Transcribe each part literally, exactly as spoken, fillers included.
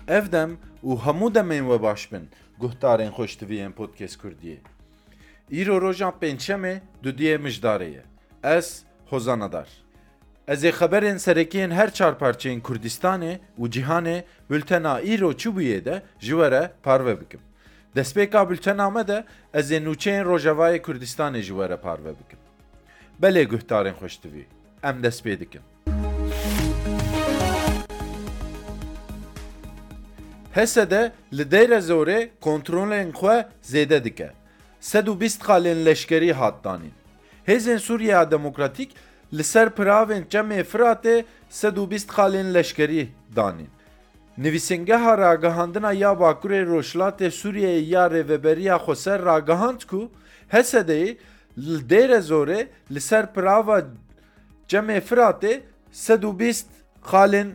Ev dem û hemû demên we baş bin, guhdarên xweştiviyên Podcast Kurdiyê. Îro roja pêncşemê dudiyê mijdarê ye. Ez Hozan Adar. Ez ê xeberên serekiyên her çar parçeyên Kurdistanê û cîhanê bultena îro çi bûyê de ji we re parve bikim. Destpêka bultena me de ez ê nûçeyên Rojavayê Kurdistanê ji we re parve bikim. Belê guhdarên xweştivî, em dest pê dikin. H S D li Dêre Zorê kontrolên xwe zêde dike. Sed û bîst xalên leşkerî hat danîn. Hêzên Sûriya Demokratîk li ser piravên Çemê Firatê sed û bîst xalên leşkerî danîn. Nivîsingeha ragihandina ya Bakurê Rojhilatê Sûriyeyê ya Rêveberiya Xweser ragihand ku H S D'yê li Dêre Zorê li ser pirava Çemê Firatê sed û bîst xalên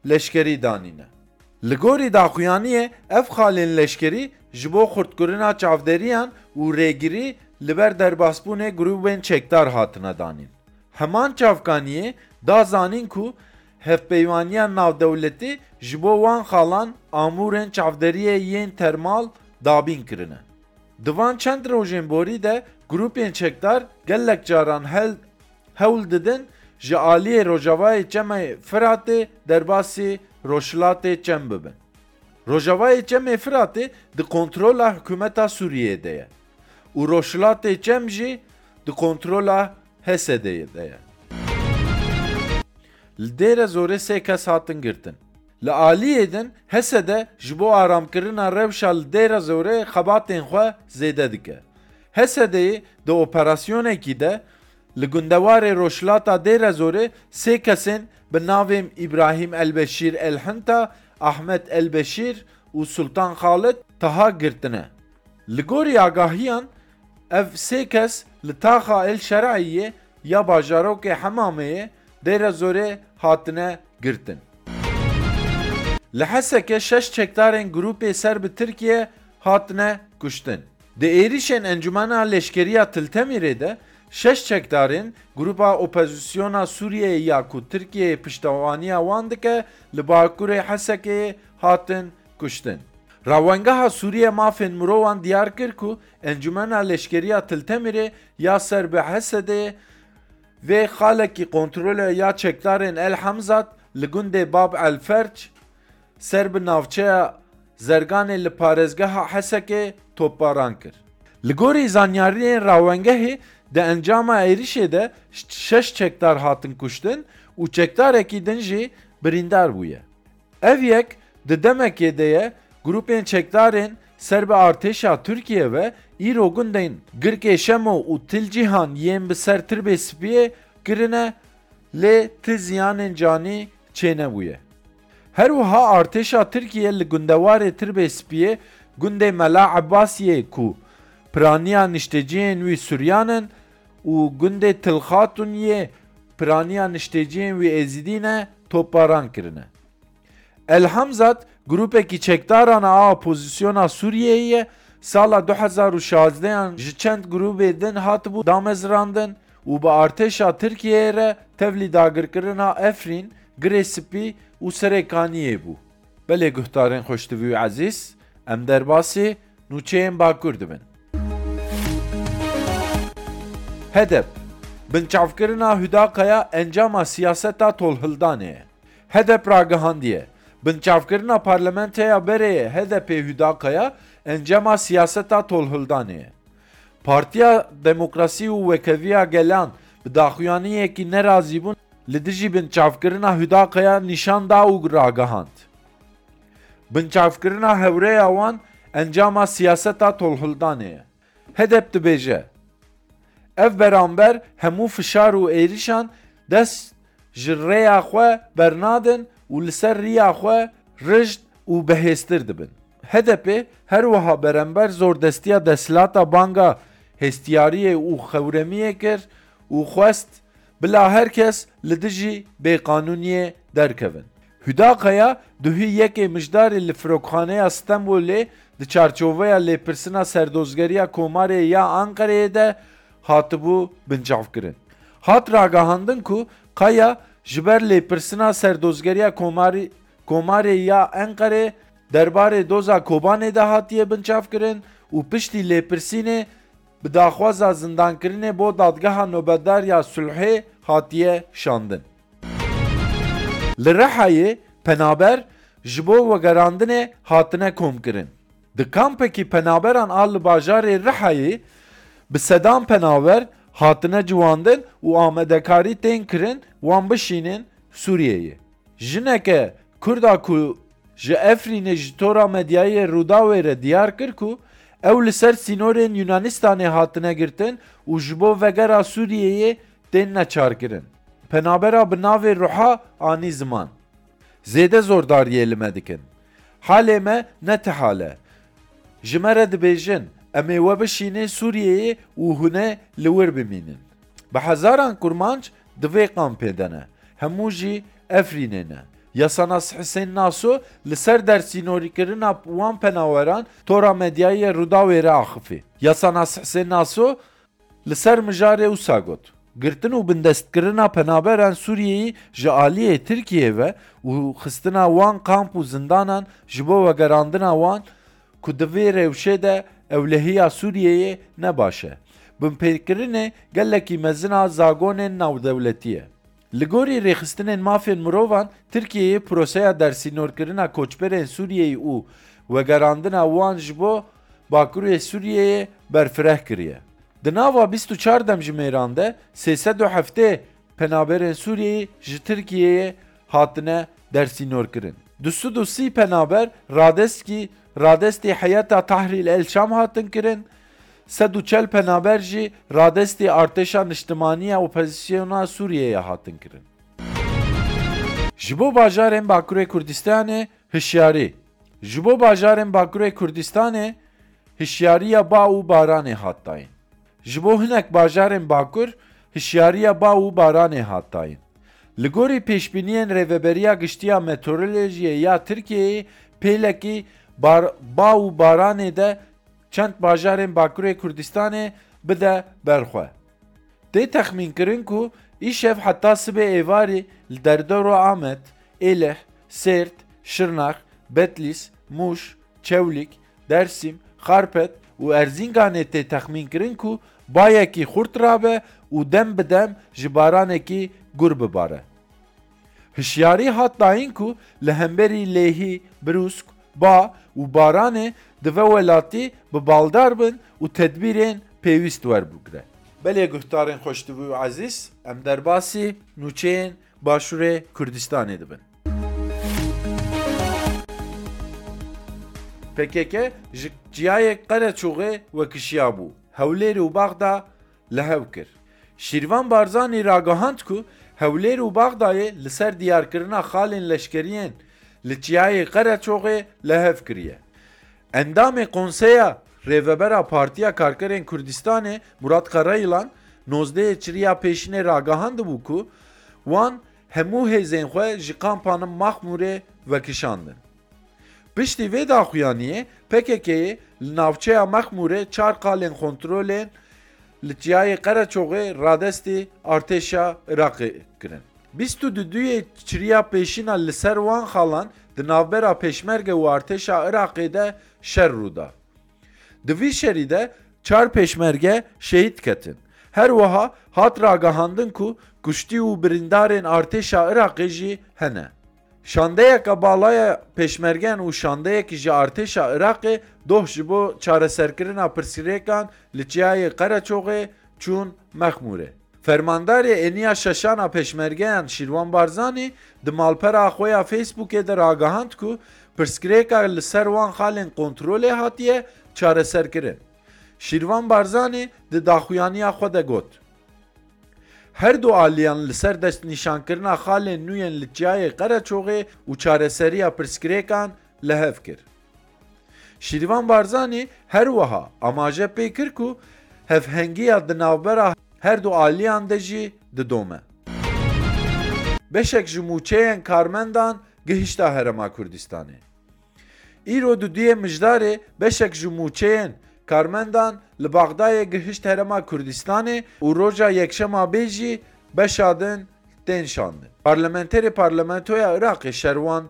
leşkerî danîne. Li gorî daxuyaniyê ev xalên leşkerî ji bo xurtkirina çavderiyan û rêgirî li ber derbasbûnê grûbên çekdar hatine danîn. Heman çavkaniyê da zanîn ku hevpeywaniya navdewletî ji bo wan xalan amûrên çavderiyê yên termal dabîn kirine. Di van çend rojên borî de grûpên çekdar gelek caran hel-, hewl didin ji aliyê rojavayê Çemê Firatê derbasî Rojhilatê Çem bibin. Rojavayê Çemê Firatê di kontrola hikûmeta Sûriyeyê de ye û Rojhilatê Çem jî di kontrola H S D'yê de ye. Li Dêre Zorê sê kes hatin girtin. Li aliyê din H S D ji bo aramkirina rewşa li Dêre Zorê xebatên xwe zêde dike. H S D'yê di operasyonekî de li gundewarê rojhilata Dêre Zorê sê kesên bi navên Îbrahîm Elbeşîr Elhinta, Ahmet Elbeşîr û Sultan Xalid Taha girtine. Li gorî agahiyan, ev sê kes li taxa El Şer'iyê ya bajarokê Hemameyê Dêre Zorê hatine girtin. Li Hesekê şeş çekdarên grûpê ser bi Tirkiye hatine kuştin. Di êrişên Encumena Leşkeriya Til Temirê de şeş çekdarên Grûpa Opozisyona Sûriyeyê ya ku Tirkiye piştevaniya wan dike, li bakurê Hesekê hatin kuştin. Rawengeha Sûriye Mafên Mirovan diyar kir ku Encumena Leşkeriya Til Temirê ya ser bi H S D'yê vê xalekî kontrolê ya çekdarên El Hemzat li gundê Bab El Ferç ser bi navçeya Zerganê li parêzgeha Hesekê topbaran kir. Li gorî zanyariyên rawengehê, di encama êrişê de şeş çekdar hatin kuştin û çekdarekî din jî birîndar bûye. Ev yek di demekê de ye, grûpên çekdarên ser bi artêşa Tirkiye ve îro gundên Girkê Şemo û Til Cîhan yên bi ser Tirbê Spiyê kirine, lê ti ziyanên canî çênebûye. Her wiha artêşa Tirkiye li gundewarê Tirbê Spiyê gundê Mela Ebbasiyê ku piraniya nişteciyên wî Suryan in û gundê Til Xatun yê piraniya nişteciyên wî Êzidî ne, topbaran kirine. El Hamzat grûpekî çekdaran a opozisyona Sûriyeyê ye, sala du hezar û şazdehan ji çend grûbê din hatibû damezrandin û bi artêşa Tirkiyeyê re tevlî dagirkirina Efrîn, Girê Spî û Serê Kaniyê bû. Belê guhdarên xweştivî û ezîz, em derbasî nûçeyên Bakur dibin. HEDEP, binçavkirina Huda Kaya encama siyaseta tolhildanê ye. HEDEP ragihandiye, binçavkirina parlamentoya berê ye HEDEPê Huda Kaya encama siyaseta tolhildanê ye. Partiya Demokrasî û Wekeviya Gelan bi daxuyaniyekî nerazîbûn li dijî binçavkirina Huda Kaya nîşan da û ragihand. Binçavkirina hewreya wan encama siyaseta tolhildanê ye. HEDEP dibêje, ev beramber hemû fişar û êrişan dest ji rêya xwe bernadin û li ser riya xwe rijd û bihêztir dibin. HEDEPê her wiha berember zordestiya desthilata banga hestiyariyê û xewremiyê kir û xwest bila her kes li dijî bêqanûniyê derkevin. Huda Kaya duhî yekê Mijdarê li Firokxaneya Stenbolê di çarçoveya lêpirsina serdozgeriya Komarê ya Enqereyê de hatibû binçavkirin. Hat ragihandin ku Kaya ji ber lêpirsina serdozgeriya Komarî-, Komarê ya Enqerê derbarê doza Kobanê de hatiye binçavkirin û piştî lêpirsînê bi daxwaza zindankirinê bo dadgeha nobetdar ya sulhê hatiye şandin. Li Rihayê penaber ji bo vegerandinê hatine komkirin. Di kampekî penaberan a li bajarê Rihayê bi sedan penaber hatine ciwandin û amadekarî tên kirin wan bişînin Sûriyeyê. Jineke Kurd a ku ji Efrînê ji tora medyayê Rûdawê re diyar kir ku ew li ser sînorên Yunanistanê hatine girtin û ji bo vegera Sûriyeyê tên neçarkirin. Penabera bi navê Ruha anî ziman. Zêde zordariyê li me dikin. Halê me ne ti hal e. Ji me re dibêjin, em ê we bişînê Sûriyeyê û hûn ê li wir bimînin. Bi hezaran kurmanc di vê kampê de ne. Hemû jî Efrînê ne. Yasanas Hisên Naso li ser dersînorîkirina wan penaweran tora medyayê Rûdawê re axifî. Yasanas Hisên Naso li ser mijarê wisa got, girtin û bindestkirina penaberan Sûriyeyê ji aliyê Tirkiyeyê ve û xistina wan kamp û zindanan ji bo vegerandina wan ku di vê rewşê de ewlehiya Sûriyeyê ne baş e. Binpêkirinê gelekî mezin a zagonên navdewletî ye. Li gorî rêxistinên mafên mirovan, Tirkiyeyê proseya dersînorkirina koçberên Sûriyeyê û vegerandina wan ji bo Bakurê Sûriyeyê berfireh kiriye. Di nava bîst û çar demjimêran de sê sed û heftê penaberên Sûriyeyê ji Tirkiyeyê hatine dersînorkirin. Du sed û sî penaber radestkî, radestî Heyeta Tahrîr el Şam hatin kirin, sed û çel penaber jî radestî Artêşa Niştimanî ya Opozîsyona Sûriyeyê hatin kirin. Ji bo bajarên Bakurê Kurdistanê hişyarî. Ji bo bajarên Bakurê Kurdistanê hişyariya ba û baranê hat dayîn. Ji bo hinek bajarên Bakur hişyariya ba û baranê hat dayîn. Li gorî pêşbîniyên Rêveberiya Giştî ya Meteorolojiyê ya Tirkiyeyê pêlekî bar-, ba û baranê de çend bajarên Bakurê Kurdistanê bide berxwe. Tê texmînkirin ku îşev heta sibê êvarî li derdora Amed, Êlih, Sêrt, Şirnex, Betlîs, Mûş, Çewlîg, Dersîm, Xarpet û Erzînganê tê texmînkirin ku bayekî xurt rabe û dem bi dem ji baranekî gur bibare. Hişyarî hat dayîn ku li hemberî lêhî, birûsk, ba û baranê di ve welatî bi baldar bin û tedbîrên pêwîst werbigre. Belê guhdarên xweştivî û ezîz, em derbasî nûçeyên Başûrê Kurdistanê dibin. P K K ji çiyayê Qereçoxê wekişiyabû. Hewlêr û Baxda li hev kir. Şîrvan Barzanî ragihand ku Hewlêr û Baxdayê li ser diyarkirina xalên leşkeriyên li Çiyayê Qereçoxê li hev kiriye. Endamê Konseya Rêvebera Partiya Karkerên Kurdistanê Murat Karayilan nozdehê çiriya pêşînê ragihandibû ku wan hemû hêzên xwe ji kampa Mexmûrê vekişandin. Piştî vê daxuyaniyê P K K'yê li navçeya Mexmûrê çar qalên kontrolên li Çiyayê Qereçoxê radestî artêşa Iraqê kirin. Bîst û duyê çiriya pêşîna li ser wan xalan di navbera pêşmerge û artêşa Iraqê de şer rû da. Di vî şerî de çar pêşmerge şehîd ketin. Her wiha hat ragihandin ku kuştî û birîndarên artêşa Iraqê jî hene. Şandeyeke bala ya pêşmergeyan û şandeyekî ji artêşa Iraqê doh ji bo çareserkirina pirsgirêkan li Çiyayê Qereçoxê çûn Mexmûrê. Fermandarê Eniya Şeşan a pêşmergeyan Şîrvan Barzanî di malpera xwe ya Facebookê de ragihand ku pirsgirêka li ser wan xalên kontrolê hatiye çareserkirin. Şîrvan Barzanî di daxuyaniya xwe de got, her du aliyan li ser destnîşankirina xalên nû yên li Çiyayê Qereçoxê û çareseriya pirsgirêkan li hev kir. Şîrvan Barzanî her wiha amaje pê kir ku hevhengiya di navbera her du aliyan de jî didome. Beşek ji mûçeyên karmendan gihişta Herêma Kurdistanê. Îro duduyê Mijdarê beşek ji mûçeyên karmendan li Baxdayê gihişt Herêma Kurdistanê û roja Yekşema bê jî beşa din tên şandin. Parlamenterê Parlamentoya Iraqê Şerwan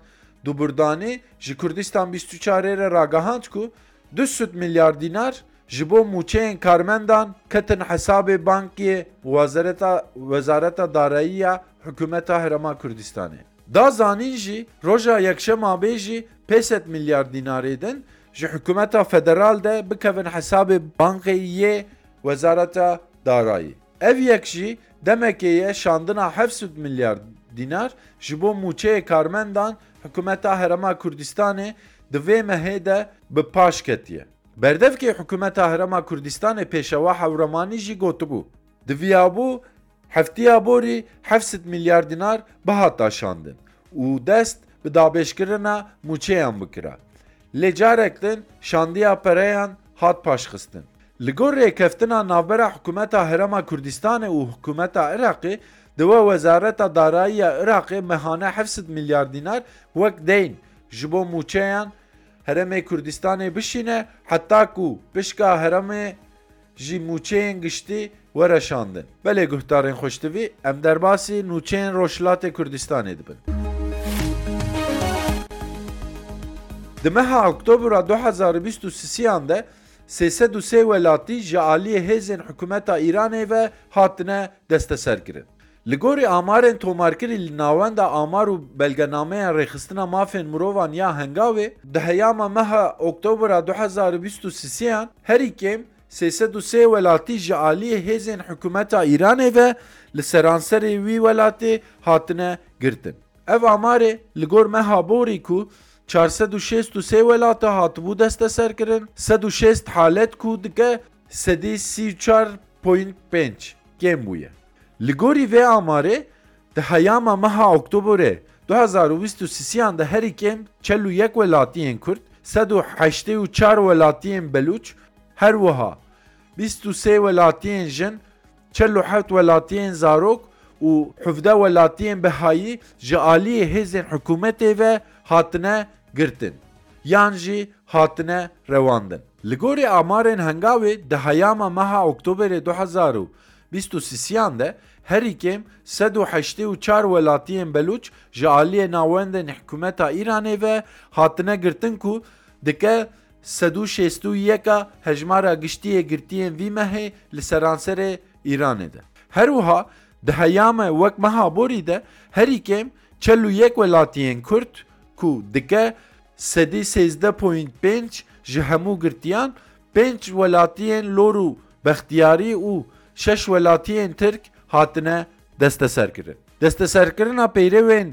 Duburdanî ji Kurdistan bîst û çar re ragihand ku du sed milyar dînar ji bo mûçeyên karmendan ketin hesabê bankê Wezareta, Wezareta Darayî ya Hikûmeta Herêma Kurdistanê. Da zanîn jî, roja yekşema bê jî pênc sed milyar dînarê din ji hikûmeta federal de bikevin hesabê bankê yê Wezareta Darayî. Ev yek jî demekê ye şandina heft sed milyar dînar ji bo mûçeyê karmendan hikûmeta Herêma Kurdistanê di vê mehê de bi paş ketiye. Berdevkê hikûmeta Herêma Kurdistanê Pêşewa Hewremanî jî gotibû, diviyabû heftiya borî heft sed milyar dînar bihata şandin û dest bi dabêjkirina mûçeyan bikira. Lê carek din şandiya pereyan hat paşxistin. Li gor rêkeftina navbera hikûmeta Herêma Kurdistanê û hikûmeta Iraqê, di we Wezareta Darayî ya Iraqê mehane heft sed milyar dînar wek deyn ji bo mûçeyan Herêmê Kurdistanê bişîne, heta ku pişka herêmê jî mûçeyên giştî were şandin. Belê guhdarên xweştivî, em derbasî nûçeyên Rojhilatê Kurdistanê dibin. Di meha Oktobera du hezar û bîst û sisiyan de sê sed û sê welatî ji aliyê hêzên hikûmeta Îranê ve hatine desteserkirin. Li gorî amarên tomarkirî li Navenda Amar û Belgenameya Rêxistina Mafên Mirovan ya Hengawê, di heyama meha Oktobera du hezar û bîst û sisiyan herî kêm sê sed û sê welatî ji aliyê hêzên hikûmeta Îranê ve li seranserê wî welatê hatine girtin. Ev amarê li gor meha borî ku çar sed û şêst û sê welata hatibû desteserkirin, sed û şêst halet ku dike sedî sî û çar point pênc kêm bûye. Li gorî vê amarê, di heyama meha Oktoberê du hezar û bîst û sisiyan de herî kêm çel û yek welatiyên Kurd, sed û heştê û çar welatiyên Belûç, her wiha bîst û sê welatiyên jin, çel û heft welatiyên zarok û hevdeh welatiyên bihayî ji aliyê hêzên hikûmetê ve hatine girtin yan jî hatine rewandin. Li gorî amarên Hengawê, di heyama meha Oktoberê du hezar û bîst û sisiyan de herî kêm sed û heştê û çar welatiyên Belûç ji aliyê navendên hikûmeta Îranê ve hatine girtin ku dike sed û şêst û yeka hejmara giştî yê girtiyên vî mehê li seranserê Îranê de. Her wiha di heyame wek meha borî de herî kêm çel û yek welatiyên Kurd ku dike sedî sêzdeh point pênc ji hemû girtiyan, pênc welatiyên Lor û Bextiyarî û şeş welatiyên Tirk hatine desteserkirin. Desteserkirina peyrewên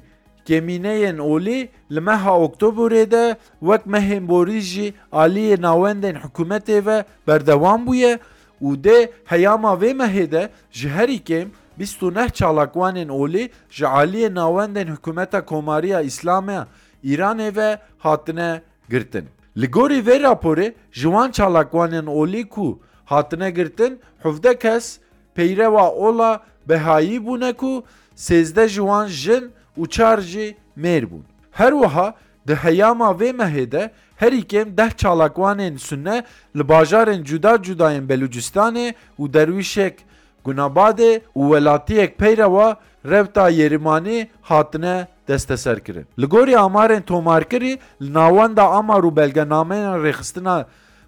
kêmîneyên olî li meha Oktoberê de wek mehên borî jî aliyê navendên hikûmetê ve berdewam bûye û dê heyama vê mehê de ji herî kêm bîst û neh çalakvanên olî ji aliyê navendên hikûmeta Komariya Îslamiya Îranê ve hatine girtin. Li gorî vê raporê ji wan çalakvanên olî ku hatine girtin, hevdeh kes peyrewa ola Behayî bûne ku sêzdeh ji wan jin û çar jî mêr bûn. Her wiha di heyama vê mehê de herî kêm deh çalakvanên Sunne li bajarên cuda cuda yên Belûcistanê û derwîşek Gunabadê û welatiyek peyrewa rewta Yêrîmanî hatine desteserkirin. Li gorî amarên tomarkirî, li Navenda Amar û Belgenameya Rêxistina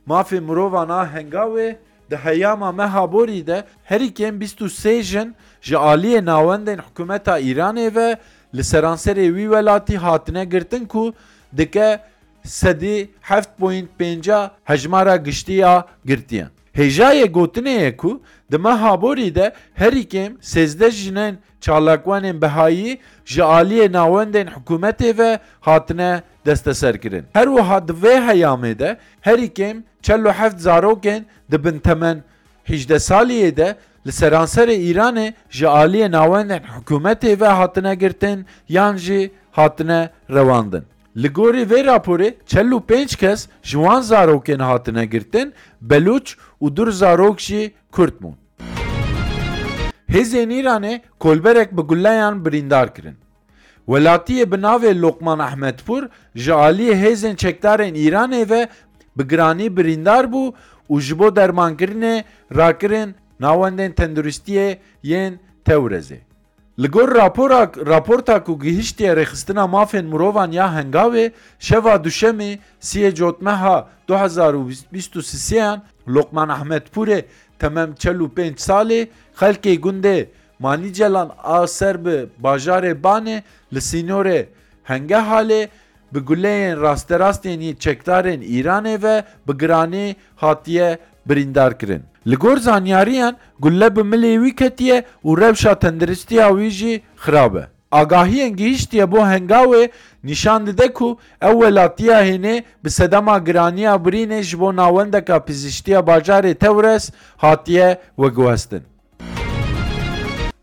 Mafê Mirovan a Hengawê, di heyama meha borî de herî kêm bîst û sê jin ji aliyê navendên hikûmeta Îranê ve li seranserê wî welatî hatine girtin ku dike sedî heft point pênca hejmara giştî ya girtiyan. Hêjayê gotinê ye ku di meha borî de herî kêm sêzdeh jinên çalakvanên Behayî ji aliyê navendên hikûmetê ve hatine desteserkirin. Her wiha di vê heyamê de herî kêm çel û heft zarokên di bin temen hîjdeh saliyê de li seranserê Îranê ji aliyê navendên hikûmetê ve hatine girtin yan jî hatine rewandin. Li gorî vê raporê çel û pênc kes ji wan zarokên hatine girtin, Belûç û du zarok jî Kurd bûn. Hêzên Îranê kolberek bi gulleyan birîndar kirin. Welatiyê bi navê Lokman Ehmedpur ji aliyê hêzên çekdarên Îranê ve bi giranî birîndar bû û ji bo dermankirinê rakirin navendên tenduristiyê yên Tewrezê. Li gor rapora, raporta ku gihiştiye Rêxistina Mafên Mirovan ya Hengawê, şeva Duşemê siyê Cotmeha du hezar û bîst û sêyan Lokman Ehmedpûrê temem çel û pênc salê, xelkê gundê Manîcelan a ser bi bajarê Banê li sînorê Hengehalê bi guleyên rasterast yên yê çekdarên Îranê ve bi giranî hatiye birîndar kirin. Li gor zanyariyan, gulle bi milê wî ketiye û rewşa tenduristiya wî jî xirab e. Agahiyên gihiştiye bo Hengawê nîşan dide ku ew welatiya hênê bi sedema giraniya birînê ji bo navendeka pizîştiya bajarê Tewres hatiye veguhestin.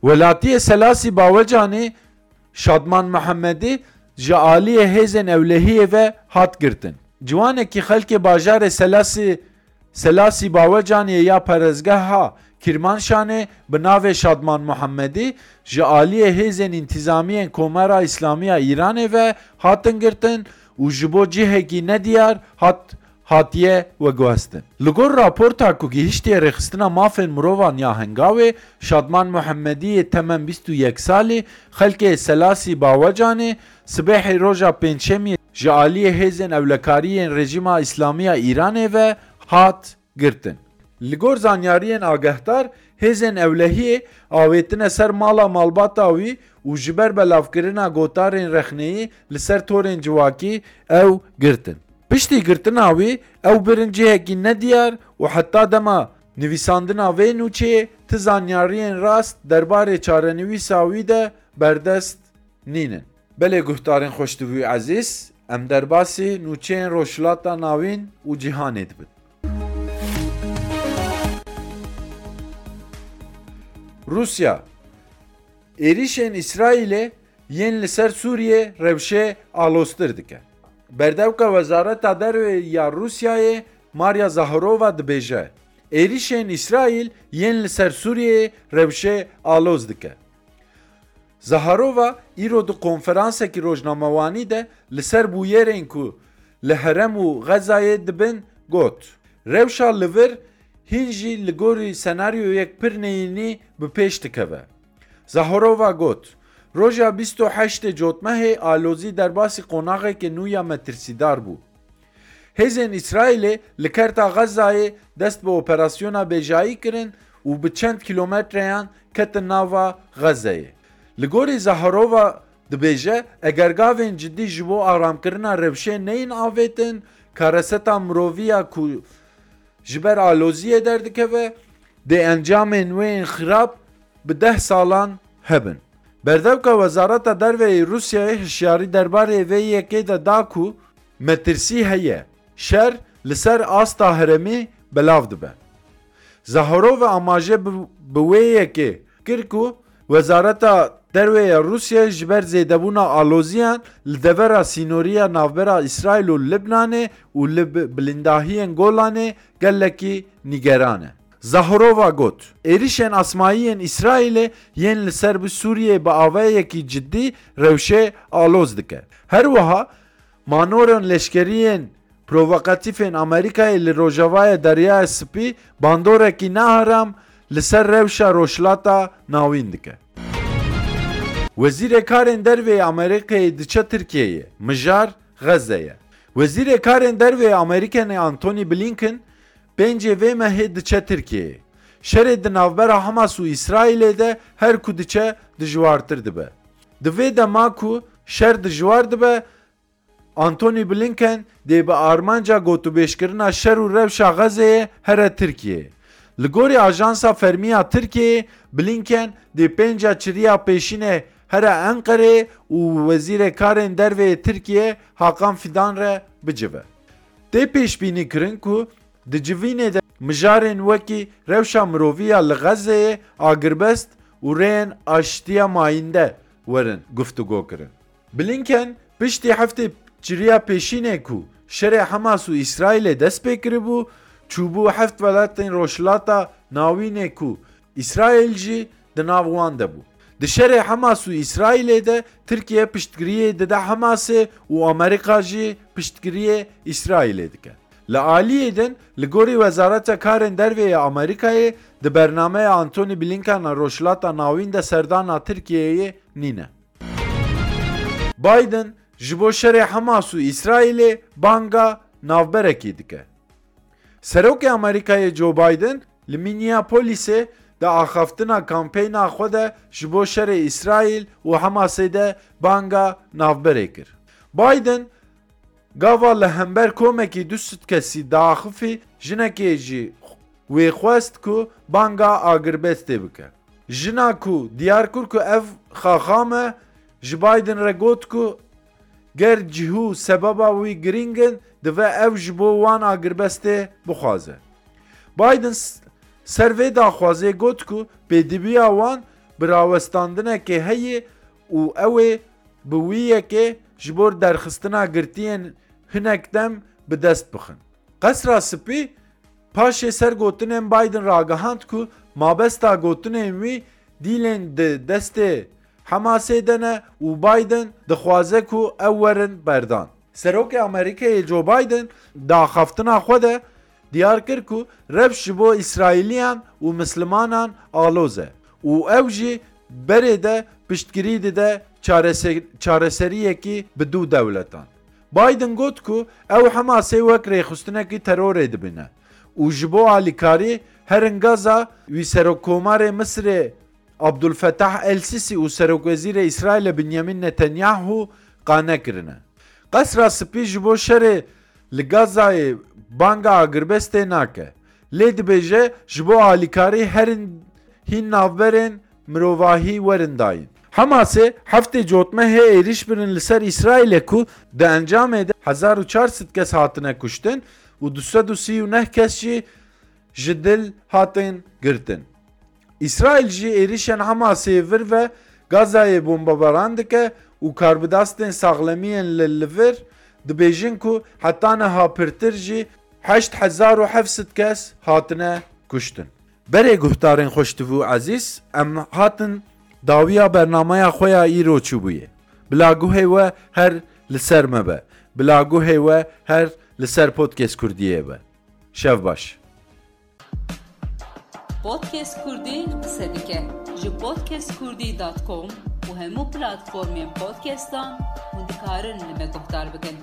Welatiyê Selasî Bawecanê Şadman Mihemedî ji aliyê hêzên ewlehiyê ve hat girtin. Ciwanekî xelkê bajarê Selasî, Selasî Bawecanê ya perezgeha Kîrmanşanê bi navê Şadman Mihemedî ji aliyê hêzên întîzamiyên Komara Îslamî ya Îranê ve hatin girtin û ji bo cihekî nediyar hat hatiye veguhestin. Li gor raporta ku gihiştiye Rêxistina Mafên Mirovan ya Hengawê, Şadman Muhemmedî yê temem bîst û yek salî, xelkê Selasî Bawecanê, sibehê roja Pêncşemiyê ji aliyê hêzên ewlekarî yên rejîma Îslamî ya Îranê ve hat girtin. Li gor zanyariyên agehdar, hêzên ewlehiyê avêtine ser mala malbata wî û ji ber belavkirina gotarên rexneyî li ser torên civakî ew girtin. Piştî girtina wî, ew birin cihekî nediyar û heta dema nivîsandina vê nûçeyê ti zanyariyên rast derbarê çarenivîsa wî de berdest nînin. Belê guhdarên xweşdivî û ezîz, em derbasî nûçeyên Rojhilata Navîn û cîhanê dibin. Rûsya, êrîşên Îsraîlê yên li ser Sûriyê rewşê aloztir dike. Berdevka Wezareta Derve ya Rûsyayê Maria Zaharova dibêje, êrîşên Îsraîl yên li ser Sûriyeyê rewşê aloz dike. Zaharova îro di konferansekî rojnamewanî de li ser bûyerên ku li herem û Xezayê dibin got, rewşa li vir hîn jî li gorî senaryoyek pir neyînî bi pêş dikeve. Zaharova got, roja bîst û heştê Cotmehê alozî derbasî qonaxeke nû ya metirsîdar bû. Hêzên Îsraîlê li kerta Xezayê dest bi operasyona bêjayî kirin û bi çend kîlometreyan ketin nava Xezeyê. Li gorî Zaharova dibêje, eger gavên cidî ji bo aramkirina rewşê neyên avêtin, kareseta mirovî ya ku ji ber aloziyê derdikeve, dê encamên wê yên xirab bi deh salan hebin. Berdevka Wezareta Derve yê Rûsyayê hişyarî derbarê vê yekê de da ku metirsî heye, şer li ser asta herêmî belav dibe. Zaharova amaje bi, bi wê yekê kir ku Wezareta Derve ya Rûsyayê ji ber zêdebûna aloziyan li devera sînorî ya navbera Îsraîl û Libnanê û li bi-, bilindahiyên Golanê gelekî nîgeran e. Zaharova got, êrîşên asmayî yên Îsraîlê yên li ser bi Sûriyeyê bi avayekî cidî rewşê aloz dike. Her wiha manorên leşkerî yên provokatîf ên Amerîkayê li rojavaya Deryaya Spî bandorekî nearam li ser rewşa Rojhilata Navîn dike. Wezîrê Karên Derve yê Amerîkayê diçe Tirkiyeyê, mijar Xeze ye. Wezîrê Karên Derve yê Amerîkanê Antony Blinken pêncê vê mehê diçe Tirkiyeyê. Şerê di navbera Hamas û Îsraîlê de her ku diçe dijwartir dibe. Di vê dema ku şer dijwar dibe, Antony Blinken dê bi armanca gotûbêjkirina şer û rewşa Xezeyê here Tirkiyeyê. Li gorî Ajansa Fermî ya Tirkiyeyê, Blinken dê pênca çiriya pêşînê here Enqereyê û Wezîrê Karên Derve yê Tirkiyê Hakan Fidan re bicive. Tê pêşbînîkirin ku di civînê de mijarên wekî rewşa mirovî ya li Xezeyê, agirbest û rêyên aştiya mayînde werin guftûgokirin. Blinken piştî heftê çiriya pêşînê ku şerê Hamas û Îsraîlê dest pê kiribû, çûbû heft welatên Rojhilata Navînê ku Îsraîl jî di nav wan de bû. Di şerê Hamas û Îsraîlê de Tirkiye piştgiriyê dide Hamasê û Amerîka jî piştgiriyê Îsraîlê dike. Li aliyê din, li gorî Wezareta Karên Derve yê Amerîkayê, di bernameya Antony Blinken a Rojhilata Navîn de serdana Tirkiyeyê nîne. Biden ji bo şerê Hamas û Îsraîlê banga navberekî dike. Serokê Amerîkayê Joe Biden li Minneapolisê di axaftina kampeyna xwe de ji bo şerê Îsraîl û Hamasê de banga navberê kir. Biden gava li hember komekî du sed kesî diaxifî, jinekê jî wê xwest ku banga agirbestê bike. Jina ku diyar kir ku ev xaxam e, ji Biden re got ku ger cihû sebeba wî girîng in, divê ew ji bo wan agirbestê bixwaze. Biden s-, ser vê daxwazê got ku pêdiviya wan bi rawestandinekê heye û ew ê bi wî yekê ji bo derxistina girtiyên hinek dem bi dest bixin. Qesra Spî paşê ser gotinên Biden ragihand ku mabesta gotinên wî dîlên di destê Hamasê de ne û Biden dixwaze ku ew werin berdan. Serokê Amerîkayê Joe Biden di axaftina xwe de diyar kir ku rewş ji bo Îsraîliyan û Mislimanan aloz e û ew jî berê de piştgirî dide çarese-, çareseriyekî bi du dewletan. Biden got ku ew Hamasê wek rêxistinekî terorê dibîne û ji bo alîkarî herin Gaza wî Serokkomarê Misirê Abdulfetah El Sisi û Serokwezîrê Îsraîlê Binyamin Netanyahu qane kirine. Qesra Spî ji bo şerê li Gazayê banga agirbestê nake. Lê dibêje ji bo alîkarî herin hîn navberên mirovahî werin dayîn. Hamasê heftê cotmehê êrîş birin li ser Îsraîlê ku di encamê de hezar û çar sed kes hatine kuştin û du sed û sî û neh kes jî ji dil hatin girtin. Îsraîl jî êrîşên Hamasê vir ve Gazayê bombebaran dike û karbidestên saxlemiyên li, li vir dibêjin ku heta niha pirtir jî heşt hezar û heft sed kes hatine kuştin. Berê guhdarên xweştiv û ezîz, em hatin dawiya bernameya xwe ya îro çûbûyê. Bila guhê we her li ser me be. Bila guhê we her li ser Podcast Kurdiyê be. Şev baş. Podcast Kurdî qise dike. Ji podcast kurdî dot com û hemû platformên podcastan hûn dikarin li me guhdar bikin.